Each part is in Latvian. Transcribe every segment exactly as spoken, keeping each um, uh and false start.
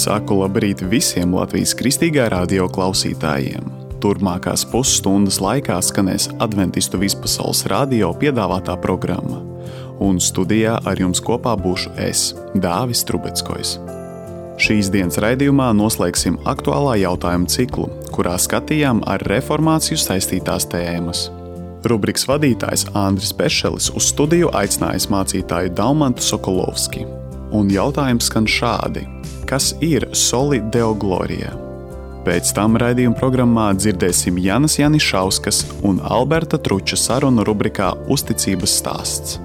Saku labrīt visiem Latvijas Kristīgā radio klausītājiem. Turpmākās pusstundas laikā skanēs Adventistu vispasaules radio piedāvātā programma. Un studijā ar jums kopā būšu es, Dāvis Trubeckojs. Šīs dienas raidījumā noslēgsim aktuālā jautājuma ciklu, kurā skatījām ar reformāciju saistītās tēmas. Rubrikas vadītājs Andris Pešelis uz studiju aicinājis mācītāju Daumantu Sokolovski. Un jautājums skan šādi. Kas ir Soli Deo Gloria? Pēc tam raidījuma programmā dzirdēsim Janas Janišauskas un Alberta Truča sarunu rubrikā Uzticības stāsts.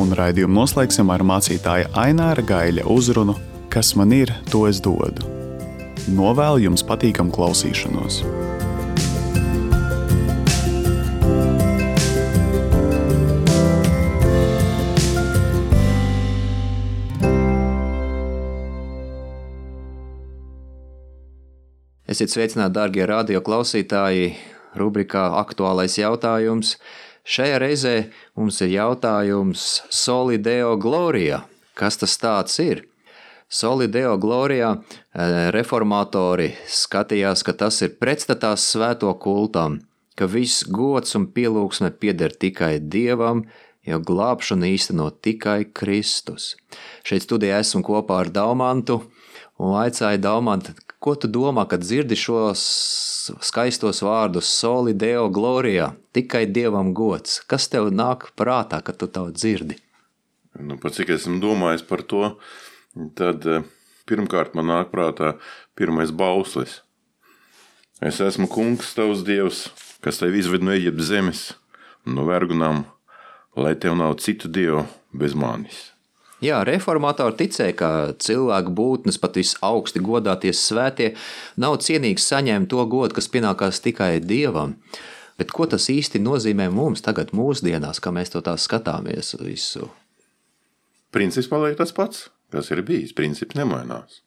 Un raidījumu noslēgsim ar mācītāja Aināra Gaiļa uzrunu Kas man ir, to es dodu. Novēlu jums patīkamu klausīšanos. Esiet sveicināti, dārgie radio klausītāji, rubrikā Aktuālais jautājums. Šajā reizē mums ir jautājums Soli Deo Gloria. Kas tas tāds ir? Soli Deo Gloria reformatori skatījās, ka tas ir pretstatās svēto kultam, ka viss gods un pielūgsme pieder tikai Dievam, jo glābšanu īsteno tikai Kristus. Šeit studijā esmu kopā ar Daumantu un aicāju Daumantu, ko tu domā, kad dzirdi šos skaistos vārdus Soli Deo Gloria, tikai Dievam gods? Kas tev nāk prātā, kad tu to dzirdi? Nu, pat cik esmu domājis par to, tad pirmkārt man nāk prātā pirmais bauslis. Es esmu kungs tavs Dievs, kas tev izved no Eģiptes zemes, no vergu nama, lai tev nav citu dievu bez manis. Jā, reformatori ticēja, ka cilvēku būtnes pat visaugsti godāties svētie nav cienīgs saņemt to godu, kas pienākās tikai Dievam. Bet ko tas īsti nozīmē mums tagad mūsdienās, kā mēs to tā skatāmies visu? Princips paliek tas pats, kas ir bijis. Princips nemainās.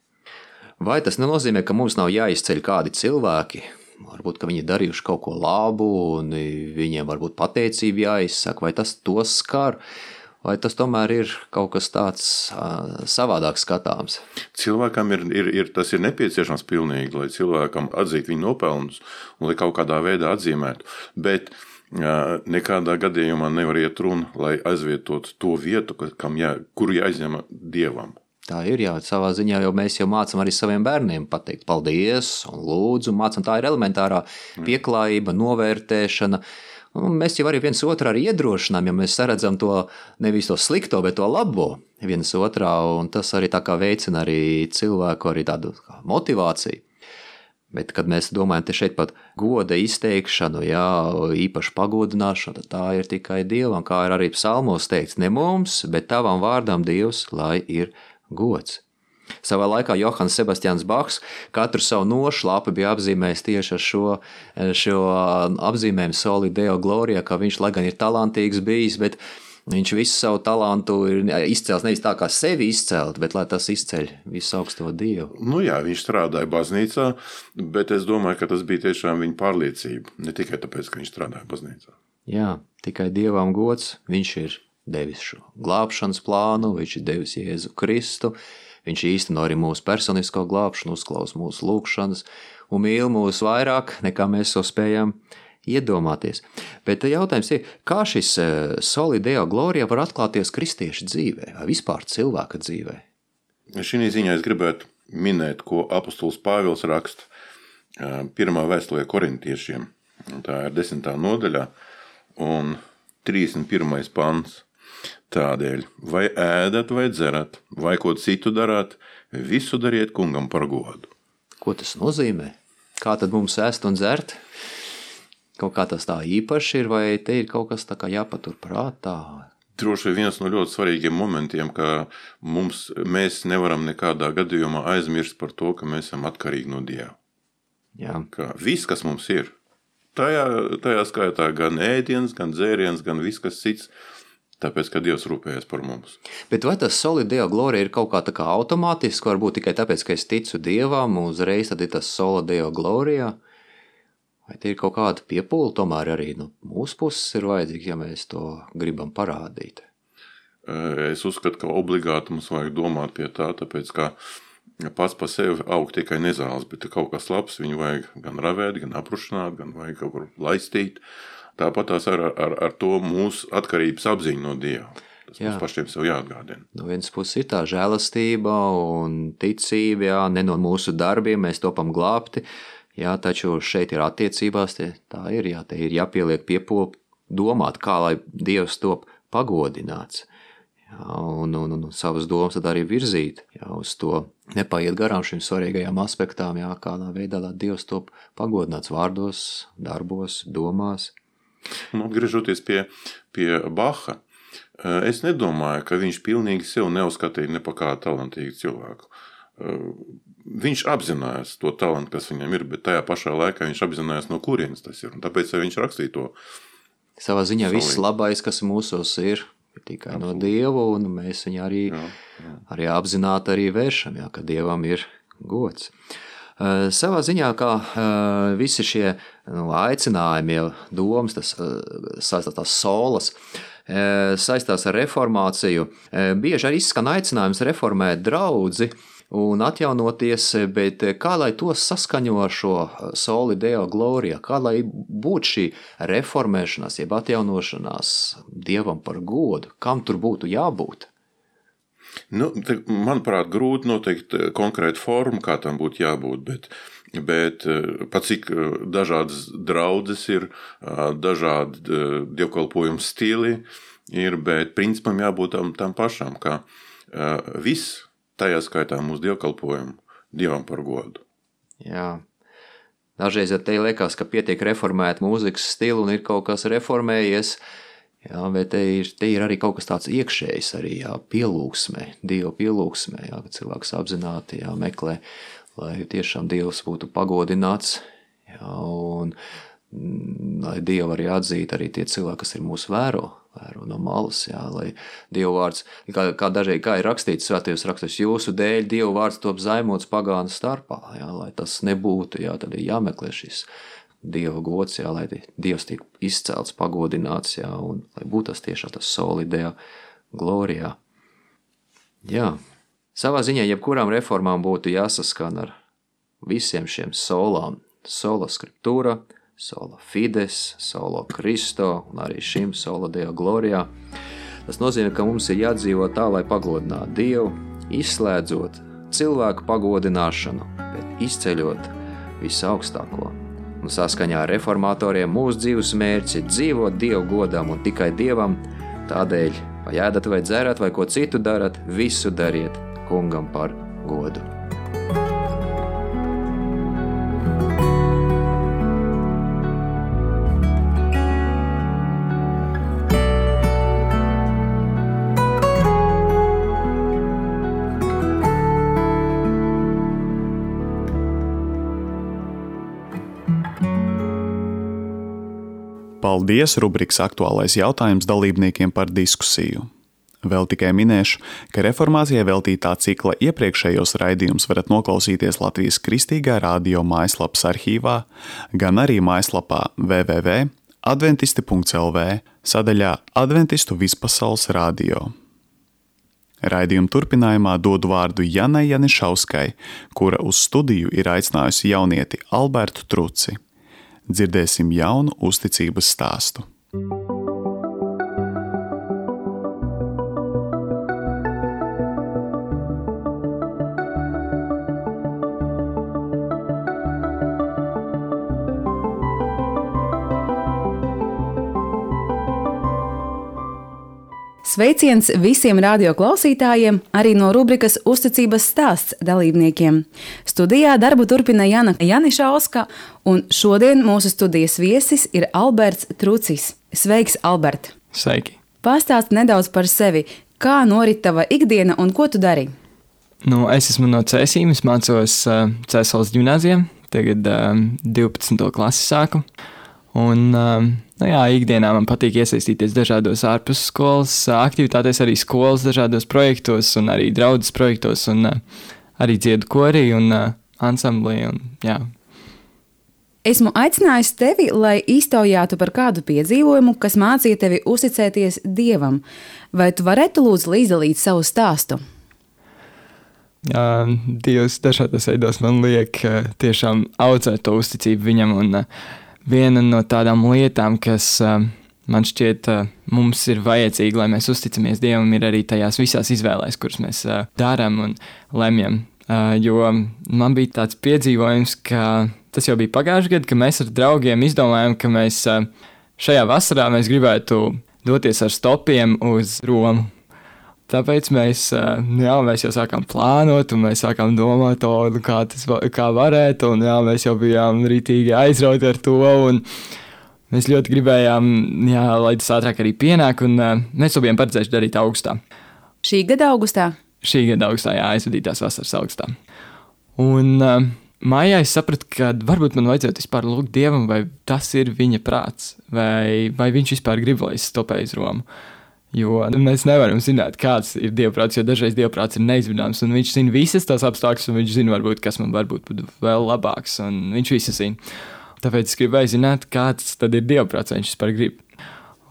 Vai tas nenozīmē, ka mums nav jāizceļ kādi cilvēki? Varbūt, ka viņi darījuši kaut ko labu un viņiem varbūt pateicība jāizsaka, vai tas tos skar? Vai tas tomēr ir kaut kas tāds uh, savādāk skatāms? Cilvēkam ir, ir, ir, tas ir nepieciešams pilnīgi, lai cilvēkam atzīt viņu nopelnus un lai kaut kādā veidā atzīmētu. Bet uh, nekādā gadījumā nevar iet runa, lai aizvietotu to vietu, kam jā, kuru jāizņem Dievam. Tā ir, jā, savā ziņā, jo mēs jau mācam arī saviem bērniem pateikt paldies un lūdzu, mācam, tā ir elementārā pieklājība, novērtēšana. Un mēs jau arī viens otru arī iedrošinām, ja mēs saredzam to nevis to slikto, bet to labo viens otrā, un tas arī tā kā veicina arī cilvēku arī tādu motivāciju. Bet, kad mēs domājam te šeit pat goda izteikšanu, jā, īpaši pagodināšanu, tā ir tikai Dievam, kā ir arī psalmos teikts, ne mums, bet tavam vārdam Dievs, lai ir gods. Savā laikā Johans Sebastians Bachs katru savu nošlapu bija apzīmējis tieši ar šo, šo apzīmējumu Soli Deo Gloria, ka viņš, lai gan ir talantīgs bijis, bet viņš visu savu talantu ir izcēlis nevis tā kā sevi izcelt, bet lai tas izceļ visu augsto Dievu. Nu jā, viņš strādāja baznīcā, bet es domāju, ka tas bija tiešām viņa pārliecība, ne tikai tāpēc, ka viņš strādāja baznīcā. Jā, tikai Dievam gods, viņš ir devis šo glābšanas plānu, viņš ir devis Jēzu Kristu, viņš īsteno arī mūsu personisko glābšanu, uzklaus mūsu lūgšanas un mīl mūs vairāk, nekā mēs to spējam iedomāties. Bet jautājums ir, kā šis Soli Deo Gloria var atklāties kristiešu dzīvē vai vispār cilvēka dzīvē? Šī ziņā es gribētu minēt, ko apostols Pāvils raksta pirmā vēstulē korintiešiem. Tā ir desmitā nodaļā un trīsdesmit pirmais pants. Tādēļ, vai ēdat, vai dzerat, vai ko citu darāt, visu dariet kungam par godu. Ko tas nozīmē? Kā tad mums ēst un dzert? Kaut kā tas tā īpaši ir, vai te ir kaut kas tā kā jāpatur prātā? Droši viens no ļoti svarīgiem momentiem, ka mums, mēs nevaram nekādā gadījumā aizmirst par to, ka mēs esam atkarīgi no Dieva. Jā. Ka viss, kas mums ir, tajā, tajā skaitā gan ēdiens, gan dzēriens, gan viss, kas cits, tāpēc, ka Dievs rūpējas par mums. Bet vai tas Soli Deo Gloria ir kaut kā tā kā automātiski, varbūt tikai tāpēc, ka es ticu Dievam, uzreiz tad ir tas Soli Deo Gloria? Vai te ir kaut kāda piepūle tomēr arī no mūsu puses ir vajadzīga, ja mēs to gribam parādīt? Es uzskatu, ka obligāti mums vajag domāt pie tā, tāpēc, ka pats pa sevi aug tikai nezāles, bet kaut kas labs, viņu vajag gan ravēt, gan aprušināt, gan vajag kaut kur laistīt. Tāpat tās ar, ar, ar to mūsu atkarības apziņu no Dieva. Tas jā. Mums pašiem sev jāatgādina. No vienas puses ir tā žēlastība un ticība, jā, ne no mūsu darbiem mēs topam glābti, jā, taču šeit ir attiecībās, tie, tā ir, jā, te ir jāpieliek piepūle domāt, kā lai Dievs top pagodināts. Jā, un, un, un savas domas tad arī virzīt, jā, uz to nepaiet garām šīm svarīgajām aspektām, jā, kādā veidā Dievs top pagodināts vārdos, darbos, domās. Un atgriežoties pie, pie Baha, es nedomāju, ka viņš pilnīgi sev neuzskatīja ne pa kādu talantīgu cilvēku. Viņš apzinājās to talantu, kas viņam ir, bet tajā pašā laikā viņš apzinājās, no kurienes tas ir. Un tāpēc viņš rakstīja to. Savā ziņā viss labais, kas mūsos ir, ir tikai Absolut. No Dieva, un mēs viņu arī, jā, jā. arī apzināti arī vēršam, jā, ka Dievam ir gods. Uh, savā ziņā, kā uh, visi šie nu, aicinājumi, ja domas, tas uh, saistās tās solas, uh, saistās ar reformāciju, uh, bieži arī izskan aicinājums reformēt draudzi un atjaunoties, bet kā lai to saskaņo šo soli Deo Gloria, kā lai būtu šī reformēšanās, jeb atjaunošanās Dievam par godu, kam tur būtu jābūt? Nu, te, manuprāt, grūti noteikt konkrētu formu, kā tam būtu jābūt, bet, bet pat cik dažādas draudzes ir, dažādi dievkalpojumu stili ir, bet principam jābūt tam, tam pašam, ka viss, tajā skaitā mūsu dievkalpojumu, Dievam par godu. Jā. Dažreiz te liekas, ka pietiek reformēt mūzikas stilu un ir kaut kas reformējies, jā, bet te ir, te ir arī kaut kas tāds iekšējs, arī jā, pielūgsmē, Dieva pielūgsmē, jā, ka cilvēks apzināti jā, meklē, lai tiešām Dievs būtu pagodināts, jā, un lai Dievu arī atzīt arī tie cilvēki, kas ir mūsu vēro, vēro no malas, jā, lai Dievu vārds, kā, kā dažreiz, kā ir rakstīts svētajos rakstos, jūsu dēļ Dievu vārds top zaimots pagānu starpā, jā, lai tas nebūtu, jā, tad ir jāmeklē šis Dieva gods, jā, lai Dievs tiek izcelts, pagodināts, jā, un lai būtu tas tiešām tas soli Deo Gloria. Jā, savā ziņā jebkurām reformām būtu jāsaskan ar visiem šiem solām, sola scriptura, sola fides, solo Christo un arī šim sola Deo Gloria. Tas nozīmē, ka mums ir jādzīvo tā, lai pagodinātu Dievu, izslēdzot cilvēku pagodināšanu, bet izceļot visaugstāko. Un saskaņā ar reformatoriem mūsu dzīves mērķis ir dzīvot Dievu godam un tikai Dievam, tādēļ, vai ēdat vai dzerat vai ko citu darat, visu dariet kungam par godu. Paldies rubrikas aktuālais jautājums dalībniekiem par diskusiju. Vēl tikai minēšu, ka reformācijai veltītā cikla iepriekšējos raidījumus varat noklausīties Latvijas Kristīgā radio mājaslapas arhīvā, gan arī mājaslapā w w w punktu adventisti punktu l v sadaļā Adventistu vispasaules radio. Raidījuma turpinājumā dodu vārdu Janai Janišauskai, kura uz studiju ir aicinājusi jaunieti Albertu Truci. Dzirdēsim jaunu uzticības stāstu. Sveiciens visiem radioklausītājiem, arī no rubrikas Uzticības stāsts dalībniekiem. Studijā darbu turpina Jana Janišauska, un šodien mūsu studijas viesis ir Alberts Trucis. Sveiks, Albert! Sveiki! Pastāsti nedaudz par sevi. Kā norit tava ikdiena un ko tu dari? Nu, es esmu no Cēsīm, es mācos uh, Cēsalas ģimnāzijā, tagad uh, divpadsmito klasi sāku. Un, uh, nu jā, ikdienā man patīk iesaistīties dažādos ārpus skolas aktivitātēs, arī skolas dažādos projektos un arī draudzes projektos un uh, arī dziedu korī un uh, ansamblī un jā. Esmu aicinājusi tevi, lai iztaujātu par kādu piedzīvojumu, kas mācīja tevi uzticēties Dievam. Vai tu varētu lūdzu līdzdalīt savu stāstu? uh, Dievs dažādos veidos man liek uh, tiešām audzēt to uzticību viņam, un uh, viena no tādām lietām, kas uh, man šķiet uh, mums ir vajadzīga, lai mēs uzticamies Dievam, ir arī tajās visās izvēlēs, kuras mēs uh, darām un lemjam. Uh, jo man bija tāds piedzīvojums, ka tas jau bija pagājuši gadu, ka mēs ar draugiem izdomājām, ka mēs uh, šajā vasarā mēs gribētu doties ar stopiem uz Romu. Tāpēc mēs, jā, mēs jau sākām plānot, un mēs sākām domāt, o, kā tas kā varētu, un jā, mēs jau bijām rītīgi aizrauti ar to, un mēs ļoti gribējām, jā, lai tas ātrāk arī pienāk, un mēs to bijām paredzējuši darīt augustā. Šī gada augustā? Šī gada augustā, jā, aizvadītās vasaras augustā. Un uh, mājā es sapratu, ka varbūt man vajadzētu vispār lūgt Dievam, vai tas ir viņa prāts, vai, vai viņš vispār grib, lai es stopēju uz Romu. Jo mēs nevaram zināt, kāds ir Dievprāts, jo dažreiz Dievprāts ir neizvedāms, un viņš zina visas tās apstākļus, un viņš zina, varbūt, kas man varbūt būtu vēl labāks, un viņš visu zina. Tāpēc es gribēju zināt, kāds tad ir Dievprāts, vai viņš vispār grib.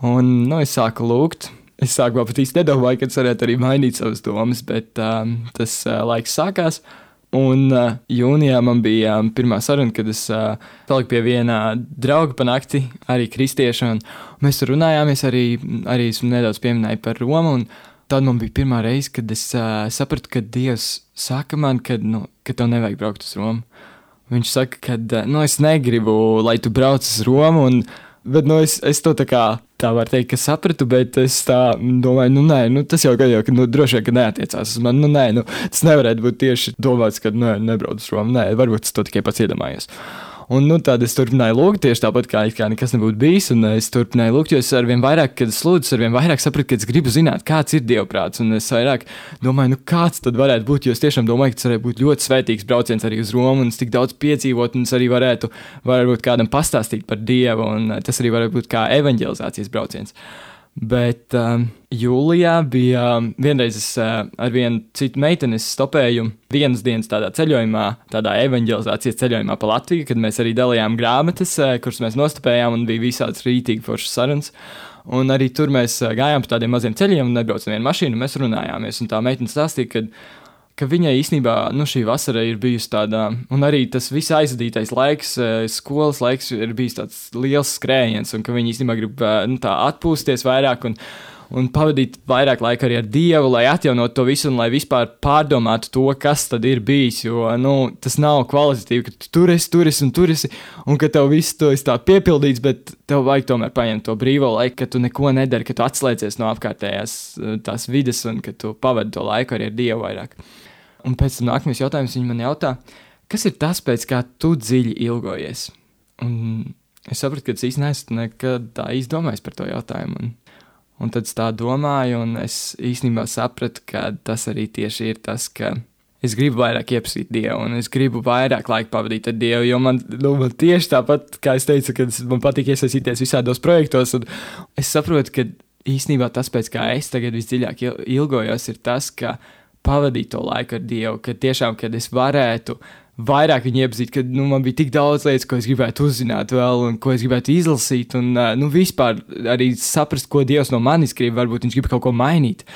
Un, nu, es sāku lūgt. Es sākumā pat īsti nedomāju, ka es varētu arī mainīt savas domas, bet um, tas uh, laiks sākās. Un uh, jūnijā man bija um, pirmā saruna, kad es uh, paliku pie viena drauga pa nakti, arī kristieša, un mēs tur runājāmies, arī, arī es nedaudz pieminēju par Romu, un tad man bija pirmā reize, kad es uh, sapratu, ka Dievs saka man, ka, nu, ka tev nevajag braukt uz Romu. Viņš saka, ka uh, nu, es negribu, lai tu brauc uz Romu, un, bet nu, es, es to tā kā tā var teikt, ka sapratu, bet es tā domāju, nu nē, nu, tas jau gan jau, ka nu, droši vien, ka neatiecās uz mani, nu nē, nu, tas nevarētu būt tieši domāts, ka nē, nebrauc uz Romu, nē, varbūt es to tikai pats iedomājos. Un nu, tad es turpināju lūgt, tieši tāpat kā, kā nekas nebūtu bijis, un es turpināju lūgt, jo es arvien vairāk, kad es lūdzu, arvien vairāk sapratu, ka es gribu zināt, kāds ir Dievprāts, un es vairāk domāju, nu kāds tad varētu būt, jo es tiešām domāju, ka tas varētu būt ļoti svētīgs brauciens arī uz Romu, un es tik daudz piedzīvot, un es arī varētu, varbūt kādam pastāstīt par Dievu, un tas arī varētu būt kā evaņģelizācijas brauciens. Bet um, jūlijā bija um, vienreiz es uh, ar vienu citu meiteni stopēju vienas dienas tādā ceļojumā, tādā evaņģelizācijas ceļojumā pa Latviju, kad mēs arī dalījām grāmatas, uh, kuras mēs nostopējām, un bija visāds rītīgi foršas sarunas. Un arī tur mēs uh, gājām pa tādiem maziem ceļiem un nebraucam vienu mašīnu, un mēs runājāmies. Un tā meitene stāstīja, ka ka viņai īstenībā nu, šī vasara ir bijusi tāda, un arī tas viss aizvadītais laiks, skolas laiks ir bijis tāds liels skrējiens, un ka viņi īstenībā grib nu, tā atpūsties vairāk un, un pavadīt vairāk laika arī ar Dievu, lai atjaunot to visu un lai vispār pārdomātu to, kas tad ir bijis, jo nu, tas nav kvalitatīvi, ka tu tur esi, tur esi un tur esi, un ka tev viss to ir tā piepildīts, bet tev vajag tomēr paņemt to brīvo laiku, ka tu neko nedari, ka tu atslēdzies no apkārtējās tās vides un ka tu pavadi to laiku arī ar Dievu vairāk. Un pēc tam nākamais jautājums viņi man jautā, kas ir tas, pēc kā tu dziļi ilgojies? Un es sapratu, ka es īsti neesmu nekad tā īsti domājis par to jautājumu. Un, un tad es tā domāju, un es īstenībā sapratu, ka tas arī tieši ir tas, ka es gribu vairāk iepazīt Dievu, un es gribu vairāk laika pavadīt ar Dievu, jo man, nu, man tieši tāpat, kā es teicu, ka man patīk iesaistīties visādos projektos, un es saprotu, ka īstenībā tas, pēc kā es tagad visdziļāk ilgojos, ir tas, ka pavadīt to laiku ar Dievu, ka tiešām, kad es varētu vairāk viņu iepazīt, ka nu, man bija tik daudz lietas, ko es gribētu uzzināt vēl un ko es gribētu izlasīt un nu, vispār arī saprast, ko Dievs no manis grib, varbūt viņš grib kaut ko mainīt.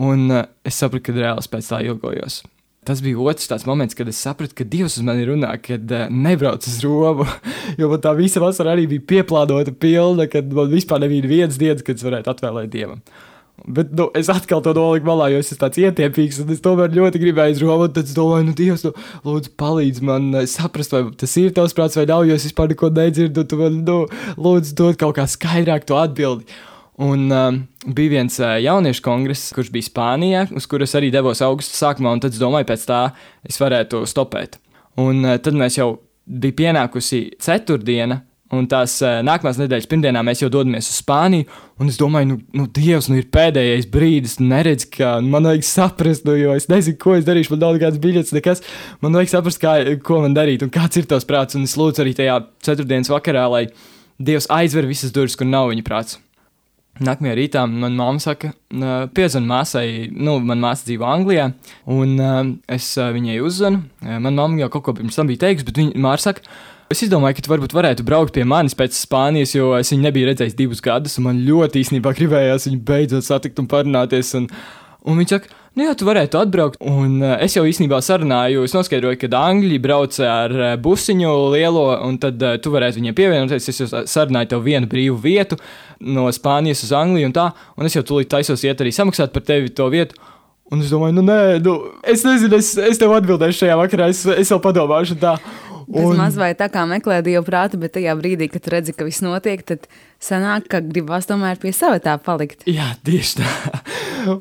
Un es sapratu, ka reāli pēc tā ilgojos. Tas bija otrs tāds moments, kad es sapratu, ka Dievs uz mani runā, kad uh, nebrauc uz Romu, jo man tā visa vasara arī bija pieplānota pilna, kad man vispār nebija viens dienas, kad es varētu atvēlēt Dievam. Bet nu, es atkal to noliku malā, jo es esmu tāds ietiepīgs, un es tomēr ļoti gribēju uz Romu, un tad es domāju, nu, Dievs, nu, lūdzu, palīdz man saprast, vai tas ir tavs prāts vai nav, jo es vispār neko nedzirdu, tu man, nu, lūdzu, dod kaut kā skaidrāk to atbildi. Un um, bija viens uh, jauniešu kongress, kurš bija Spānijā, uz kuru es arī devos augusta sākumā, un tad es domāju, pēc tā es varētu stopēt. Un uh, tad mēs jau bija pienākusi ceturtdiena, un tās uh, nākamās nedēļas pirmdienā mēs jau dodamies uz Spāniju, un es domāju, nu, nu Dievs, nu ir pēdējais brīdis, neredz, ka man vajag saprast, nu, jo es nezinu, ko es darīšu, man nav nekāds biļets, nekas, man vajag saprast, kā, ko man darīt, un kāds ir tavs prāts, un es lūdzu arī tajā ceturtdienas vakarā, lai Dievs aizver visas durvis, kur nav viņa prāts. Nākamajā rītā man mamma saka, uh, piezvanu māsai, nu, man māsa dzīvo Anglijā, un uh, es uh, viņai uzzvanu, uh, man mamma jau kaut ko pirms tam bija teikusi, bet viņa māra saka, es izdomāju, ka tu varbūt varētu braukt pie manis pēc Spānijas, jo es viņu nebiju redzējis divus gadus, un man ļoti īstenībā gribējās viņu beidzot satikt un parunāties, un, un viņa saka, nu jā, tu varētu atbraukt. Un uh, es jau īstenībā sarunāju, es noskaidroju, ka Angļi brauc ar uh, busiņu lielo, un tad uh, tu varētu viņiem pievienoties. Es jau sarunāju tev vienu brīvu vietu no Spānijas uz Angliju un tā, un es jau tūlīt taisos iet arī samaksāt par tevi to vietu. Un es domāju, nu nē, nu, es nezinu, es, es tev atbildēšu šajā vakarā, es, es vēl padomāšu tā. Tas un... maz vai tā kā meklē Dievu prātu, bet tajā brīdī, kad tu redzi, ka viss notiek, tad sanāk, ka gribas tomēr pie sava tā palikt. Jā, tieši tā.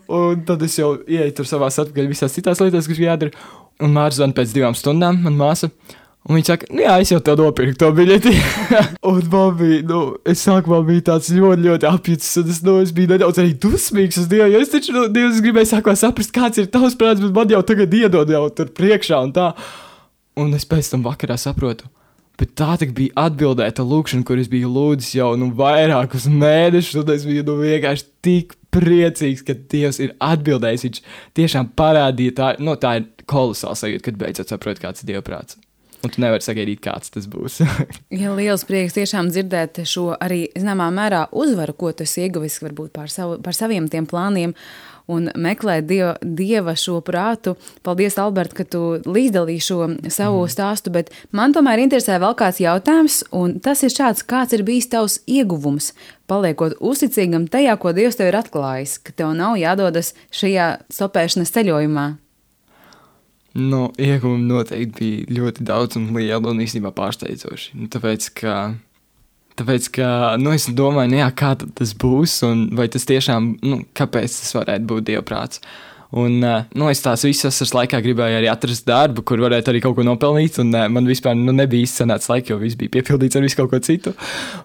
Un tad es jau ieeju tur savās atpakaļ visās citās lietās, kas jādara. Un Mārs zvan pēc divām stundām, man māsa. Un viņa saka, nu jā, es jau tev nopirku to biļeti. Un man bija, nu, es sākumā biju tāds ļoti, ļoti apjucis, un es, nu, es biju nedaudz arī dusmīgs uz Dievu, jo es taču, nu, Dievs, gribēju sākumā saprast, kāds ir tavs prāts, bet man jau tagad iedod jau tur priekšā un tā. Un es pēc tam vakarā saprotu, bet tā tik bija atbildēta lūkšana, kur es biju lūdzis jau, nu, vairākus mēnešus, un es biju, nu, vienkārši tik priecīgs, ka Dievs ir atbildējis, viņš tiešām parādīja, tā, nu, tā ir kolosāls sajūta, kad beidzot saprot, kāds ir Dieva prāts. Un tu nevari sagaidīt, kāds tas būs. Ja liels prieks tiešām dzirdēt šo arī, zināmā mērā, uzvaru, ko tu esi ieguvis varbūt par, savu, par saviem tiem plāniem un meklēt dieva, dieva šo prātu. Paldies, Albert, ka tu līdzdalīji šo savu mm. stāstu, bet man tomēr interesē vēl kāds jautājums, un tas ir šāds, kāds ir bijis tavs ieguvums, paliekot uzticīgam tajā, ko Dievs tev ir atklājis, ka tev nav jādodas šajā stopēšanas ceļojumā. Nu, ieguvumi noteikti bija ļoti daudz un liela un īstenībā pārsteidzoši. Nu, tāpēc, ka, tāpēc, ka nu, es domāju, nu, jā, kā tas būs un vai tas tiešām, nu, kāpēc tas varētu būt Dieva prāts. Un, nu, es tās visas vasaras laikā gribēju arī atrast darbu, kur varētu arī kaut ko nopelnīt, un man vispār nu, nebija izsanāts laika, jo viss bija piepildīts ar visu kaut ko citu.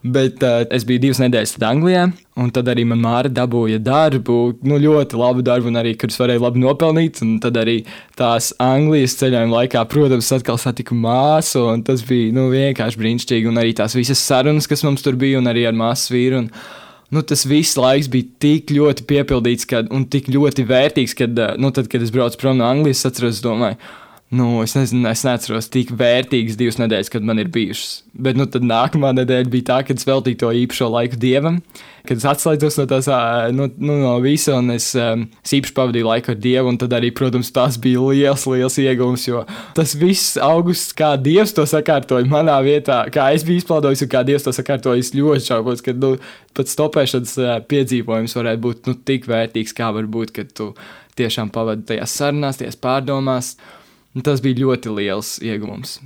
Bet uh, es biju divas nedēļas tad Anglijā, un tad arī man Māra dabūja darbu, nu, ļoti labu darbu, un arī, kurus varēja labi nopelnīt, un tad arī tās Anglijas ceļojuma laikā, protams, atkal satiku māsu, un tas bija, nu, vienkārši brīnišķīgi, un arī tās visas sarunas, kas mums tur bija, un arī ar māsas vīru, un nu, tas viss laiks bija tik ļoti piepildīts kad, un tik ļoti vērtīgs, kad, nu, tad, kad es braucu prom no Anglijas, es atceros, domāju, nu, es nezinu, es neatceros tik vērtīgas divas nedēļas, kad man ir bijušas. Bet, nu, tad nākamā nedēļa bija tā, kad es veltīju to īpašo laiku Dievam, kad es atslēdzos no tās, nu, nu, no visa, un es, es īpaši pavadīju laiku ar Dievu, un tad arī, protams, tas bija liels, liels ieguvums, jo tas viss augusts, kā Dievs to sakārtoja manā vietā, kā es biju izplādojis, un kā Dievs to sakārtoja, es ļoti šaubos, kad, nu, pat stopēšanas piedzīvojums varētu būt, nu, tik vērtīgs, kā var būt, kad tu tiešām pavadi tajās sarunās, tajās pārdomās. Tas bija ļoti liels ieguvums.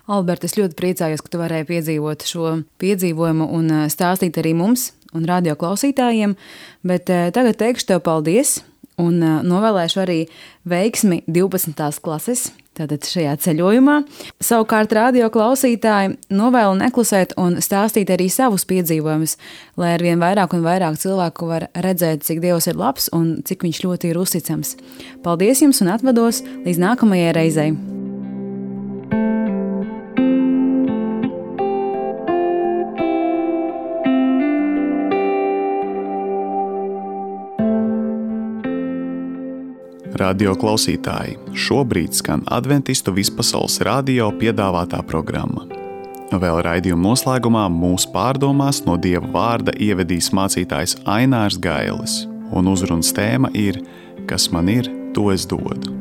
Albert, es ļoti priecājos, ka tu varēji piedzīvot šo piedzīvojumu un stāstīt arī mums un radio klausītājiem, bet tagad teikšu tev paldies un novēlēšu arī veiksmi divpadsmitās klases, tātad šajā ceļojumā. Savukārt radio klausītāji novēlu neklusēt un stāstīt arī savus piedzīvojumus, lai arvien vairāk un vairāk cilvēku var redzēt, cik Dievs ir labs un cik viņš ļoti ir uzticams. Paldies jums un atvados līdz nākamajai reizei! Radio klausītāji, šobrīd skan Adventistu vispasaules radio piedāvātā programma. Vēl raidījuma noslēgumā mūs pārdomās no Dieva vārda ievedīs mācītājs Ainārs Gailis, un uzrunas tēma ir Kas man ir, to es dodu.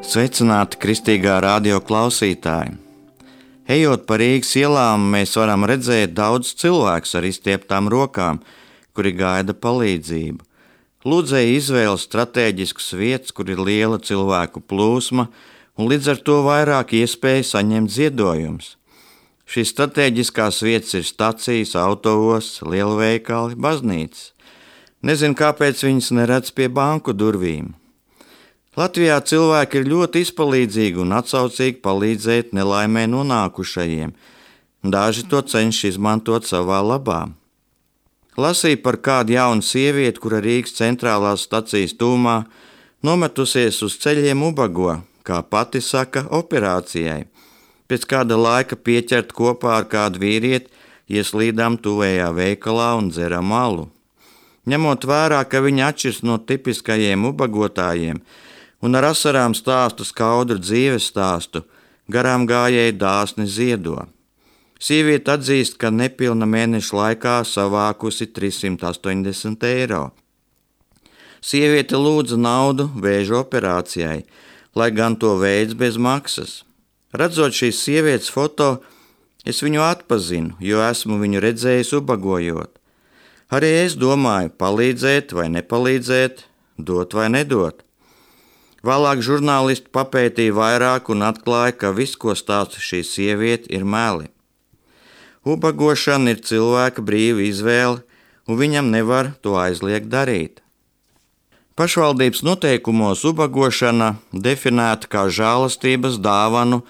Sveicināti kristīgā radio klausītāji! Ejot pa Rīgas ielām, mēs varam redzēt daudz cilvēkus ar izstieptām rokām, kuri gaida palīdzību. Lūdzēji izvēlas stratēģiskas vietas, kur ir liela cilvēku plūsma un līdz ar to vairāk iespēja saņemt ziedojumus. Šīs stratēģiskās vietas ir stacijas, autoosts, lielveikali, baznīcas. Nezinu, kāpēc viņas neredz pie banku durvīm. Latvijā cilvēki ir ļoti izpalīdzīgi un atsaucīgi palīdzēt nelaimē nonākušajiem. Daži to cenšas izmantot savā labā. Lasīju par kādu jaunu sievieti, kura Rīgas centrālās stacijas tūmā nometusies uz ceļiem ubago, kā pati saka, operācijai. Pēc kāda laika pieķert kopā ar kādu vīrieti, ieslīdām tuvējā veikalā un dzeram alu. ņemot vērā, ka viņi atšķiras no tipiskajiem ubagotājiem un ar asarām stāstu skaudru dzīves stāstu, garām gājēji dāsni ziedo. Sieviete atzīst, ka nepilna mēneša laikā savākusi trīssimt astoņdesmit eiro. Sieviete lūdza naudu vēža operācijai, lai gan to veids bez maksas. Redzot šīs sievietes foto, es viņu atpazinu, jo esmu viņu redzējis ubagojot. Arī es domāju, palīdzēt vai nepalīdzēt, dot vai nedot. Vēlāk žurnālisti papētīja vairāk un atklāja, ka viss, ko stāsta šī sieviete, ir meli. Ubagošana ir cilvēka brīva izvēle, un viņam nevar to aizliegt darīt. Pašvaldības noteikumos ubagošana definēta kā žēlastības dāvanu,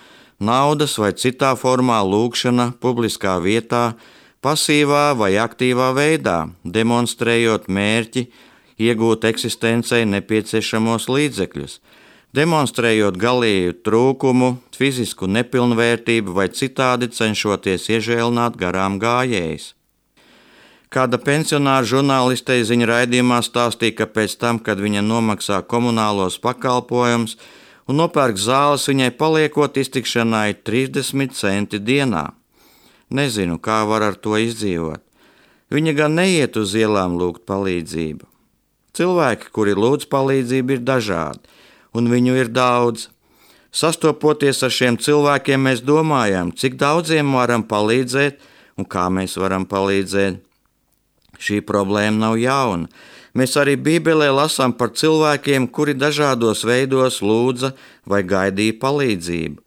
naudas vai citā formā lūgšana publiskā vietā, pasīvā vai aktīvā veidā, demonstrējot mērķi iegūt eksistencei nepieciešamos līdzekļus, demonstrējot galīgu trūkumu, fizisku nepilnvērtību vai citādi cenšoties iežēlināt garām gājējus. Kāda pensionāra žurnālistei ziņu raidījumā stāstīja, ka pēc tam, kad viņa nomaksā komunālos pakalpojumus un nopērk zāles, viņai paliekot iztikšanai trīsdesmit centi dienā. Nezinu, kā var ar to izdzīvot. Viņa gan neiet uz ielām lūgt palīdzību. Cilvēki, kuri lūdz palīdzību, ir dažādi, un viņu ir daudz. Sastopoties ar šiem cilvēkiem, mēs domājam, cik daudziem varam palīdzēt un kā mēs varam palīdzēt. Šī problēma nav jauna. Mēs arī Bībelē lasām par cilvēkiem, kuri dažādos veidos lūdza vai gaidīja palīdzību.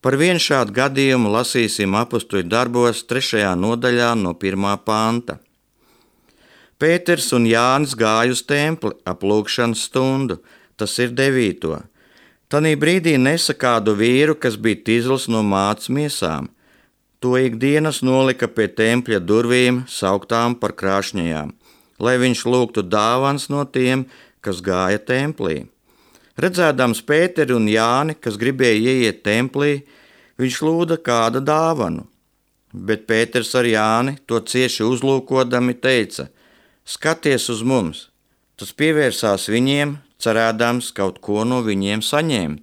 Par vienu šādu gadījumu lasīsim Apustuļu darbos trešajā nodaļā no pirmā panta. Pēters un Jānis gāja uz templi ap lūgšanas stundu, tas ir devīto. Tanī brīdī nesa kādu vīru, kas bija tizls no mātes miesām. To ikdienas nolika pie tempļa durvīm, sauktām par krāšņajām, lai viņš lūgtu dāvans no tiem, kas gāja templī. Redzēdams Pēteri un Jāni, kas gribēja ieiet templī, viņš lūdza kādu dāvanu. Bet Pēters ar Jāni to cieši uzlūkodami teica: skaties uz mums! Tas pievērsās viņiem, cerēdams kaut ko no viņiem saņemt.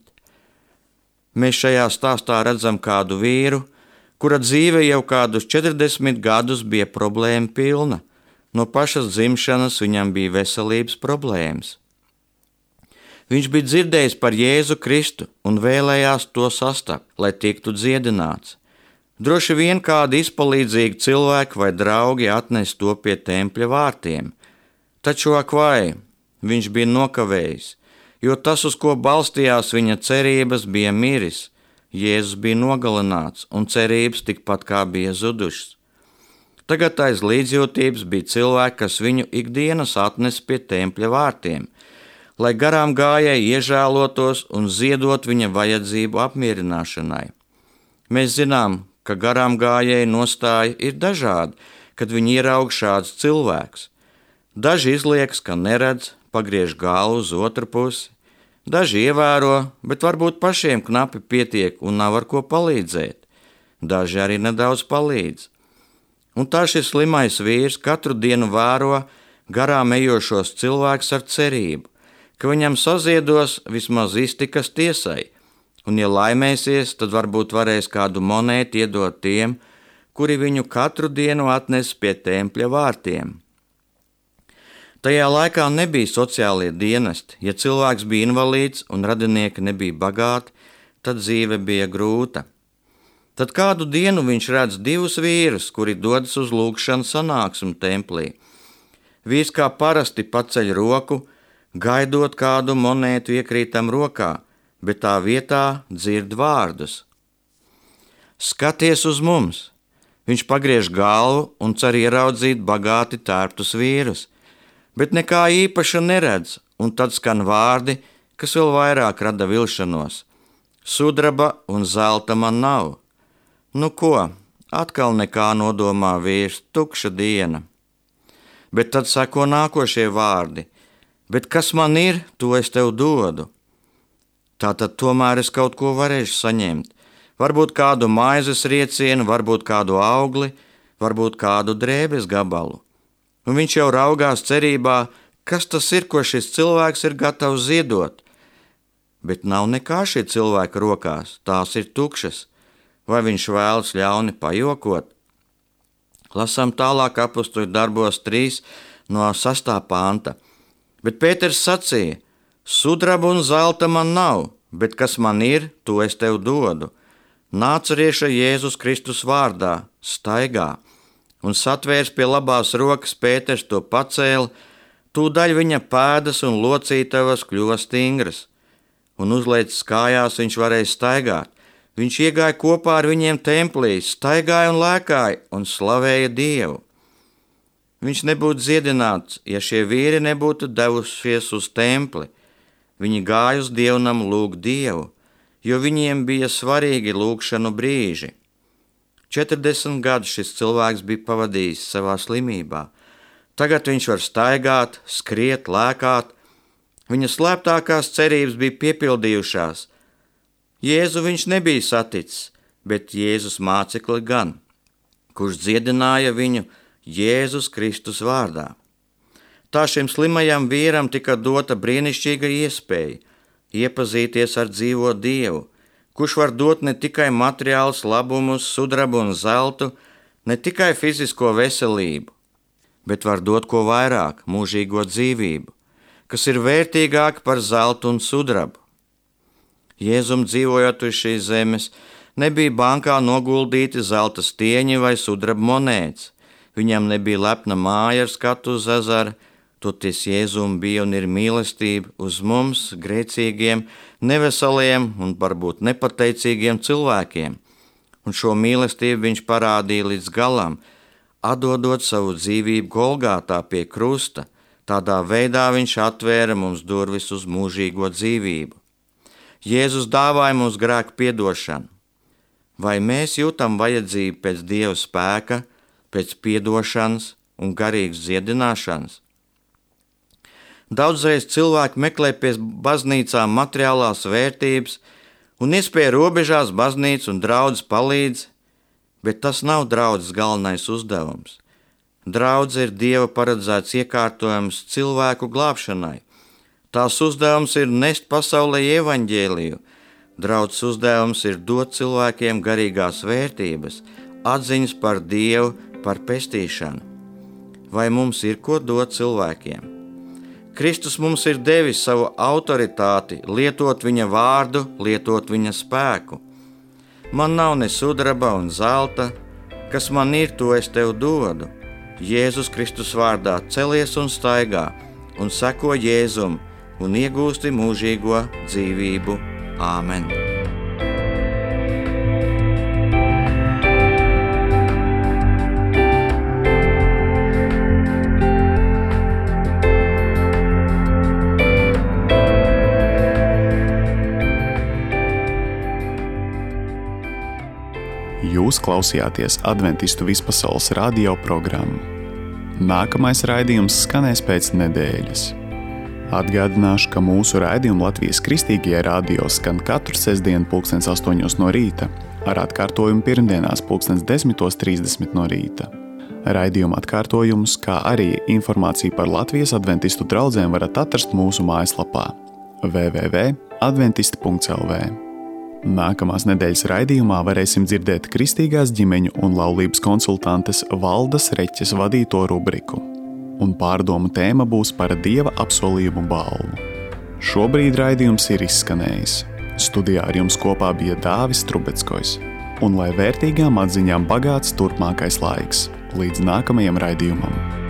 Mēs šajā stāstā redzam kādu vīru, kura dzīve jau kādus četrdesmit gadus bija problēma pilna. No pašas dzimšanas viņam bija veselības problēmas. Viņš bija dzirdējis par Jēzu Kristu un vēlējās to sastapt, lai tiktu dziedināts. Droši vien kādi izpalīdzīgi cilvēki vai draugi atnes to pie tempļa vārtiem. Taču ak vai, viņš bija nokavējis, jo tas, uz ko balstījās viņa cerības, bija miris. Jēzus bija nogalināts, un cerības tikpat kā bija zudušas. Tagad aiz līdzjūtības bija cilvēki, kas viņu ikdienas atnes pie tempļa vārtiem, lai garām gājēji iežēlotos un ziedot viņa vajadzību apmierināšanai. Mēs zinām, ka garām gājēji nostāja ir dažādi, kad viņi ieraug šādus cilvēkus. Daži izliekas, ka neredz, pagriež galvu uz otru pusi. Daži ievēro, bet varbūt pašiem knapi pietiek un nav ar ko palīdzēt. Daži arī nedaudz palīdz. Un tā šis slimais vīrs katru dienu vēro garām ejošos cilvēkus ar cerību, ka viņam saziedos vismaz iztikas tiesai, un ja laimēsies, tad varbūt varēs kādu monētu iedot tiem, kuri viņu katru dienu atnes pie tempļa vārtiem. Tajā laikā nebija sociālie dienesti. Ja cilvēks bija invalīds un radinieki nebija bagāti, tad dzīve bija grūta. Tad kādu dienu viņš redz divus vīrus, kuri dodas uz lūgšanu sanāksmu templī. Vīrs kā parasti paceļ roku, gaidot kādu monētu iekrītam rokā, bet tā vietā dzird vārdus. Skaties uz mums! Viņš pagriež galvu un cer ieraudzīt bagāti tērptus vīrus, bet nekā īpaša neredz, un tad skan vārdi, kas vēl vairāk rada vilšanos. Sudraba un zelta man nav. Nu ko, atkal nekā nodomā vīrs, tukša diena. Bet tad seko nākošie vārdi. Bet kas man ir, to es tev dodu. Tātad tomēr es kaut ko varēšu saņemt. Varbūt kādu maizes riecienu, varbūt kādu augli, varbūt kādu drēbes gabalu. un viņš jau raugās cerībā, kas tas ir, ko šis cilvēks ir gatavs ziedot. Bet nav nekā šī cilvēka rokās, tās ir tukšas. Vai viņš vēlas ļauni pajokot? Lasām tālāk Apostuļu darbos trīs no sastā panta. Bet Pēters sacīja: sudraba un zelta man nav, bet kas man ir, to es tev dodu. Nācerieša Jēzus Kristus vārdā, staigā. Un satvērs pie labās rokas Pēters to pacēla, tūdaļ viņa pēdas un locītavas kļuva stingras. Un uzlēcis kājās viņš varēja staigāt. Viņš iegāja kopā ar viņiem templī, staigāja un lēkāja un slavēja Dievu. Viņš nebūtu dziedināts, ja šie vīri nebūtu devušies uz templi. Viņi gāja uz dievnamu lūgt Dievu, jo viņiem bija svarīgi lūgšanu brīži. četrdesmit gadus šis cilvēks bija pavadījis savā slimībā. Tagad viņš var staigāt, skriet, lēkāt. Viņa slēptākās cerības bija piepildījušās. Jēzu viņš nebija saticis, bet Jēzus mācekli gan, kurš dziedināja viņu Jēzus Kristus vārdā. Tā šim slimajam vīram tika dota brīnišķīga iespēja iepazīties ar dzīvo Dievu, kurš var dot ne tikai materiālus labumus, sudrabu un zeltu, ne tikai fizisko veselību, bet var dot ko vairāk, mūžīgo dzīvību, kas ir vērtīgāka par zeltu un sudrabu. Jēzum dzīvojot uz šīs zemes, nebija bankā noguldīti zelta stieņi vai sudraba monētas. Viņam nebija lepna māja ar skatu uz ezeru, toties Jēzum bija un ir mīlestība uz mums, grēcīgiem, neveseliem un varbūt nepateicīgiem cilvēkiem. Un šo mīlestību viņš parādīja līdz galam, atdodot savu dzīvību Golgātā pie krusta. Tādā veidā viņš atvēra mums durvis uz mūžīgo dzīvību. Jēzus dāvāja mums grēku piedošanu. Vai mēs jūtam vajadzību pēc Dieva spēka, pēc piedošanas un garīgas dziedināšanas? Daudzreiz cilvēki meklē pie baznīcām materiālās vērtības un iespēja robežās baznīca un draudzes palīdz, bet tas nav draudzes galvenais uzdevums. Draudze ir Dieva paredzēts iekārtojums cilvēku glābšanai. Tās uzdevums ir nest pasaulē evaņģēliju. Draudzes uzdevums ir dot cilvēkiem garīgās vērtības, atziņas par Dievu, par pestīšanu. Vai mums ir ko dot cilvēkiem? Kristus mums ir devis savu autoritāti, lietot viņa vārdu, lietot viņa spēku. Man nav ne sudraba un zelta, kas man ir, to es tev dodu. Jēzus Kristus vārdā celies un staigā, un seko Jēzum, un iegūsti mūžīgo dzīvību. Āmen! Jūs klausījāties Adventistu vispasaules radio programmu. Nākamais raidījums skanēs pēc nedēļas. Atgādināšu, ka mūsu raidījumu Latvijas Kristīgajā radio skan katru sestdienu pulkstens astoņos no rīta, ar atkārtojumu pirmdienās pulkstens desmitos trīsdesmit no rīta. Raidījuma atkārtojumus, kā arī informāciju par Latvijas adventistu draudzēm varat atrast mūsu mājaslapā w w w punkts adventisti punkts l v. Nākamās nedēļas raidījumā varēsim dzirdēt kristīgās ģimeņu un laulības konsultantes Valdas Reķes vadīto rubriku. Un pārdomu tēma būs par Dieva apsolījumu balvu. Šobrīd raidījums ir izskanējis. Studijā ar jums kopā bija Dāvis Trubeckojs. Un lai vērtīgām atziņām bagāts turpmākais laiks. Līdz nākamajam raidījumam.